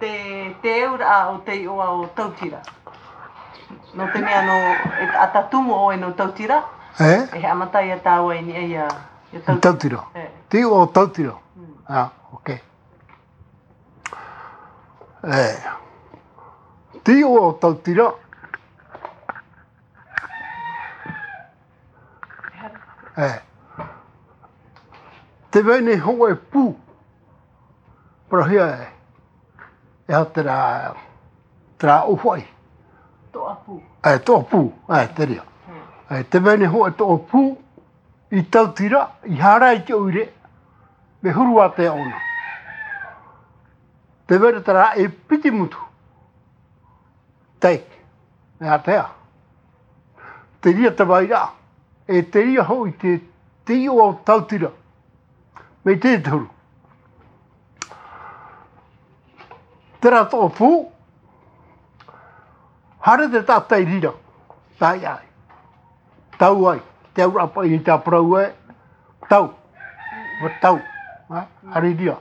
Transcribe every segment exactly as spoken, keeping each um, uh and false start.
Te, te auraʻa o te iʻoa o Tautira. Nō te mea nō, e taʻata tumu ʻoe nō Tautira. E? E haʻamata ia tāua i niʻa ia, ia Tautira. Tautira. E. Te iʻoa o Tautira. Mm. Ah, ok. E. Te iʻoa o Tautira. E. Te vahine hōʻē pū. Parauhia e. E aha terā, terā ʻōfaʻi. Toʻapū. E, toʻapū. E, te reira. Hmm. E, te vahine hōʻē toʻapū. I Tautira, i haere i te ʻoire. Mea huru ātea ʻōna. Te vahine terā e piti mutu. Tei, e ātea. Te reira te vairaʻa, e te reira hoʻi te, te iʻoa o Tautira. Mai te, te huru. Terā toʻapū, haere te taʻata i reira, tae ai. Tau ai, te auraʻa paʻi i te parau e, tau. Ua tau, ha? Haere i reira.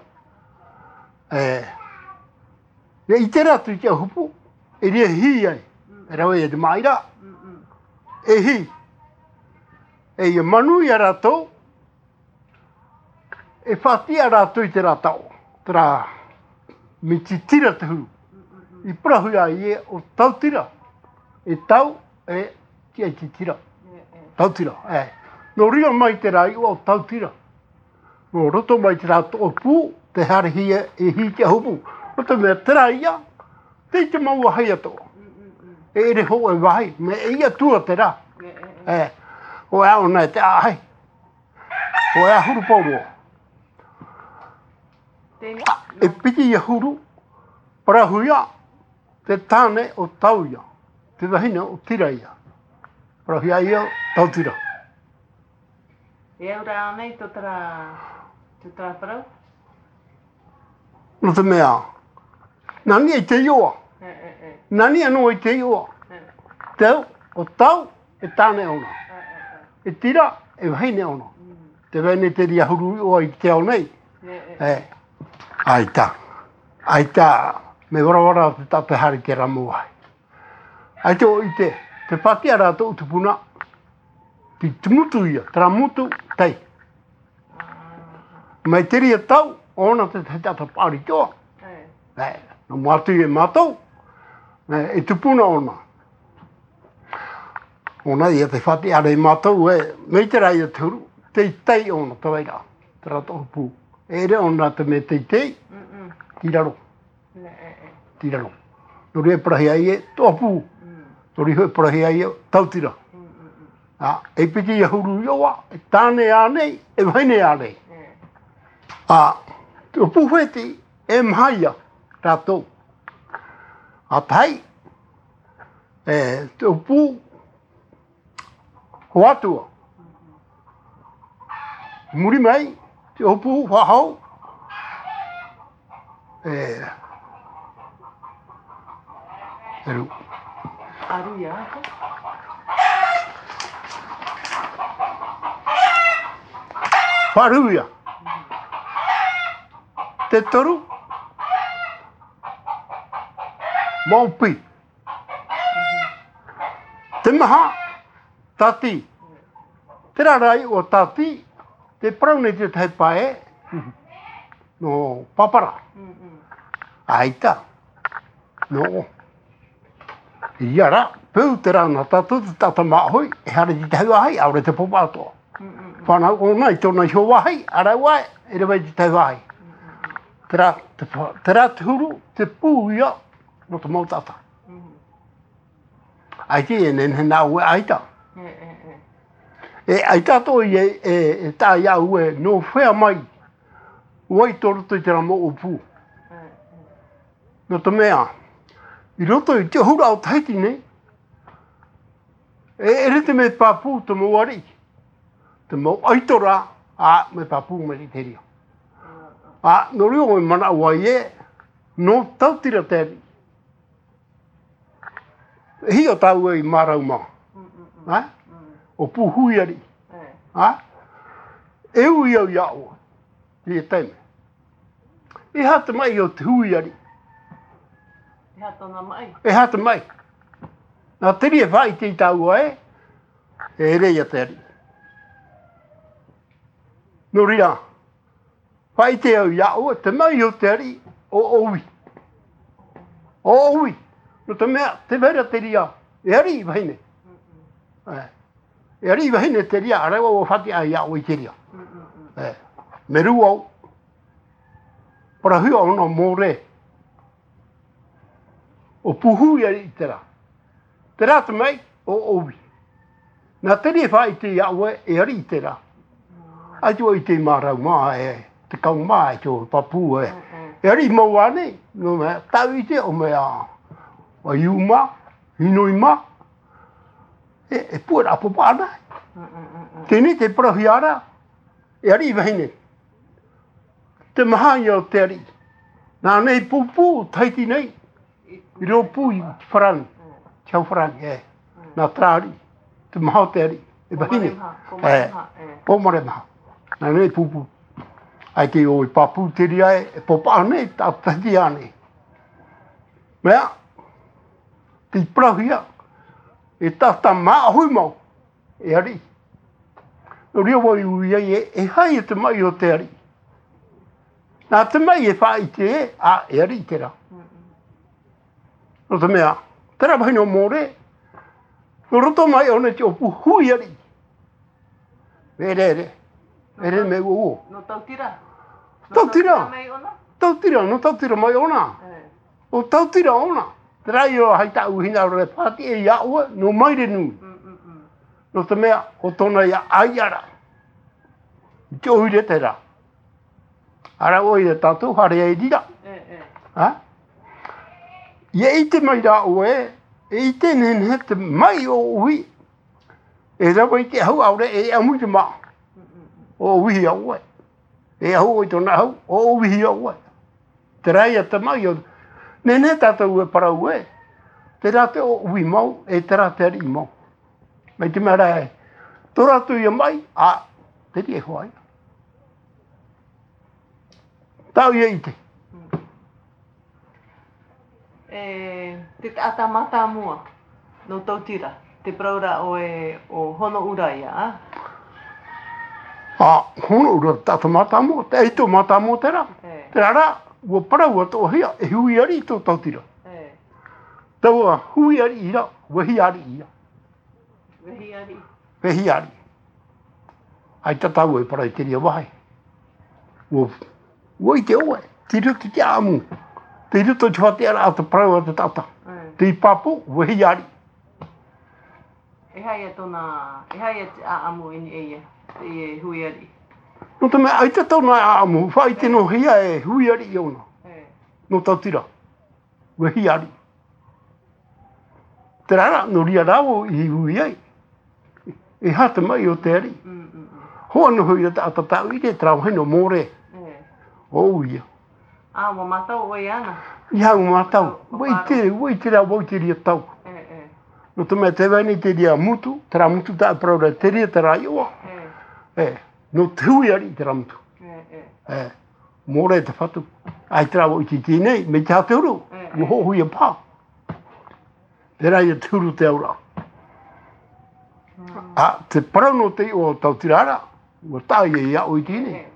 E, Ia ʻite rā atu i te ʻauhupu, e reira e hī ai, e rave ai te māʻira, e hī. E ia manuia rātou, e faʻatiʻa rātou i terā taʻo, terā mea titira te huru. I parauhia ïa ʻo Tautira, e tau, e tiʻa i titira. Tautira, e. Nō reira mai terā iʻoa ʻo Tautira. Nō roto mai terā toʻapū, te haere hia, e hī te ʻauhupu. Nō te mea terā ïa, tei te mau vāhi atoʻa. E ʻere hōʻē vāhi, mea ʻeiaha atu terā. E, ʻoia ʻōna e te ʻāʻahi. ʻOia ʻahuru pauroa. Tēnā. E piti ʻahuru, parauhia, te tāne ʻo Tauia, te vahine ʻo Tiraia. Parauhia ïa Tautira. E au rā nei tō terā, tō terā parau? Nō te mea, nā niʻa i te iʻoa. E, e, e. Nā niʻa noa i te iʻoa. E. Te au, ʻo Tau, e tāne ʻōna. E, e, e. E Tira, e vahine ʻōna. Mm. Te vahine te reira huru iʻoa i te ao nei. E, e. E. ʻAita. ʻAita, mea varavara te taʻata haere i terā mau vāhi. ʻAita ʻoe ʻite, tē faʻatiʻa ra tōʻu tupuna, tei te motu ïa, terā motu, tei. Mai te reira tau, ʻōna te tahi taʻata paʻari atoʻa. E. E, nō mua atu ia mātou, e, e tupuna ʻōna. ʻŌna ïa tē faʻatiʻa ra ia mātou, e, mai terā ïa te huru, teitei ʻōna, te vairaʻa, terā toʻapū. E ʻere ʻōna te mea teitei, i raro. Nē, e, e. Tei raro. Nō reira e parauhia ïa e toʻapū. Mm. Nō reira e parauhia ïa e Tautira. Mm, mm, mm. Ā, e piti ʻahuru iʻoa, e tāne ānei, e vahine ānei. E. Ā, te ʻōpū Hōʻeti, e maha ïa rātou. Ā, tahi, e, te ʻōpū Hoatua. Muri mai, te ʻōpū faʻahou. E. Eru. ʻĀruia. Faʻaruia. Te toru. Maʻopi. Te maha, Tati. Terā rā iʻoa Tati, tē parau nei te tahi pae, nō Papara. Mm, mm. ʻAita. Nō. ʻIa rā, peu terā nā tātou te taʻata māʻohi, e haere i te tahi vāhi, ʻaore te papa atoʻa. Mm, mm, mm. Fānau ʻōna i tōna iho vāhi, ʻa rāua e, e rave i te tahi vāhi. Mm, mm, mm. Terā, te pa-, terā te huru, te pū ïa, nō te mau taʻata. Mm. ʻAita e nehenehe nā ʻoe ʻaita. E, e, e. E ʻaita atoʻa ïa e, e, e taʻa iā ʻoe, nō hea mai, ʻoe i tō roto i terā mau ʻōpū. E, e. Nō te mea, i roto i te ʻahuru ʻo Tahiti nei, e, e ʻere te mea pāpū te mau ariʻi. Te mau ʻaito rā, ā, mea pāpū mai i te reira. Ā, nō reira ʻoe manaʻo ai ē, nō Tautira te ariʻi. E hiʻo tāua i Marae Roma. Mm, mm, mm. Ā? Mm. ʻO Pūhuiariʻi. E. Ā? E ui au iā ʻoe. I te taime. E aha te maʻi o te huiariʻi? E aha tōna maʻi? E aha te maʻi? Nā te reira e faʻaʻite i tāua ē, e ʻere ia te ariʻi. Nō reira, faʻaʻite au iā ʻoe, te maʻi o te ariʻi, ʻo ʻOui. ʻO ʻOui. Nō te mea, tē vai ra te reira, e ariʻi vahine. E. E ariʻi vahine te reira, ʻaore rā ʻua faʻatiʻa iā ʻoe i te reira. E. Mea rua au, parauhia ʻōna mōrē. ʻO Pūhuiariʻi terā. Terā te maʻi, ʻo ʻOui. Nā te reira e faʻaʻite iā ʻoe, e ariʻi terā. ʻAita vau i ʻite i mā rau mā, e, te kau mā, e tō pāpū, e. E ariʻi mau ānei, nō mea, tāʻu i ʻite, ʻo mea, ʻo Iu mā, Hinoi mā, e, e puʻe rā papa ana. Teie nei te parauhia ra, e ariʻi vahine. Te maha ia o te ariʻi. Nā nei pūpū, Tahiti nei, i rōpū i Farani, te hau Farani, e. Nā terā ariʻi, te maha o te ariʻi, e vahine. Pōmare maha, pōmare maha, e. Pōmare maha. Nā nei pūpū. ʻAita ʻoe pāpū te reira e, e papa ānei, tā Tahiti ānei. Mea, tei parauhia, e tātā māʻohi mau, e ariʻi. Nō reira vau i ui ai e, e aha ia te maʻi o te ariʻi. Nā te maʻi e faʻaʻite ē, ā, e ariʻi terā. Nō te mea, terā vahine ʻo mōrē, nō roto mai ʻōna i te ʻōpū Huiariʻi. Mea ʻere, ʻere, ʻere mea uo uo. Nō Tautira? Nō Tautira. Tautira mai ʻōna? Tautira, nō Tautira mai ʻōna. E. ʻO Tautira ʻōna. Terā ia hai tāʻu hinaʻaro e faʻatiʻa iā ʻoe, nō Mairenui. Nō te mea, ʻo tōna ia ʻaiʻa ra. I te ʻoire terā. Ara ʻoe ia tātou, haere ai i reira. E, e. Ha? ʻIa ʻite mai rā ʻoe, e ʻite nehenehe te maʻi o ʻOui. E rave i te ʻahu, ʻaore e ʻamu i te mā. ʻO ʻOui ia ʻoe. E ʻahu ʻoe i tōna ʻahu, ʻo ʻOui ia ʻoe. Terā ia te maʻi o, nehenehe tātou e parau ē, terā te ʻOui mau, e terā te ariʻi mau. Mai te mea rā ē, tō rātou ia maʻi, ā, te reira e hoa ia. Tāʻu ia ʻite. E, te taʻata mātāmua, nō Tautira, te parau ra ʻoe ʻo Honoʻura ia, ā? Ā, Honoʻura, te taʻata mātāmua, te ʻaito mātāmua terā. E. Terā rā, ʻua parau atoʻa hia, e Huiariʻi tō Tautira. E. Taua Huiariʻi ra, ʻua hia ariʻi ia. Vehi ariʻi. Vehi ariʻi. ʻAita tāua e parau i te reira vāhi. ʻUa, ʻua ʻite ʻoe, tei roto i te ʻāʻamu. Tei roto i te faʻatiʻaraʻa o te parau a te taʻata. Mm. Tei pāpū, vehi ariʻi. E aha ia tōna, e aha ia te ʻāʻamu i niʻa ia, teie Huiariʻi? Nō te mea, ʻaita tōna ʻāʻamu, faʻaʻite noa hia e Huiariʻi ʻōna. E. Nō Tautira. Vehi ariʻi. Terā rā, nō reira rā vau i ui ai. E aha te maʻi o te ariʻi. Mm, mm, mm. Hoʻi noa hoʻi ra te taʻata tāʻu i ʻite, terā vahine ʻo Mōrē. E. ʻO ʻOui ia. Ā, ʻua mātau ʻoe iāna? ʻEiaha, ʻua mātau. Papa. ʻUa ʻite, ʻua ʻite rā vau i te reira tau. E, e. Nō te mea tē vai nei te reira mutu, terā mutu tāʻu e parau ra, te reira terā iʻoa. E. E. Nō te Huiariʻi terā mutu. E, e. E. Mōrē te fatu. ʻAita rā vau i ʻite i teie nei, mai te aha te huru, e, e, ʻua hoʻohia paha. Terā ia te huru o te auraʻa. Mm. Ā, te parau nō te iʻoa o Tautira ra, ʻua taʻa ia iā ʻoe i teie nei. E, e.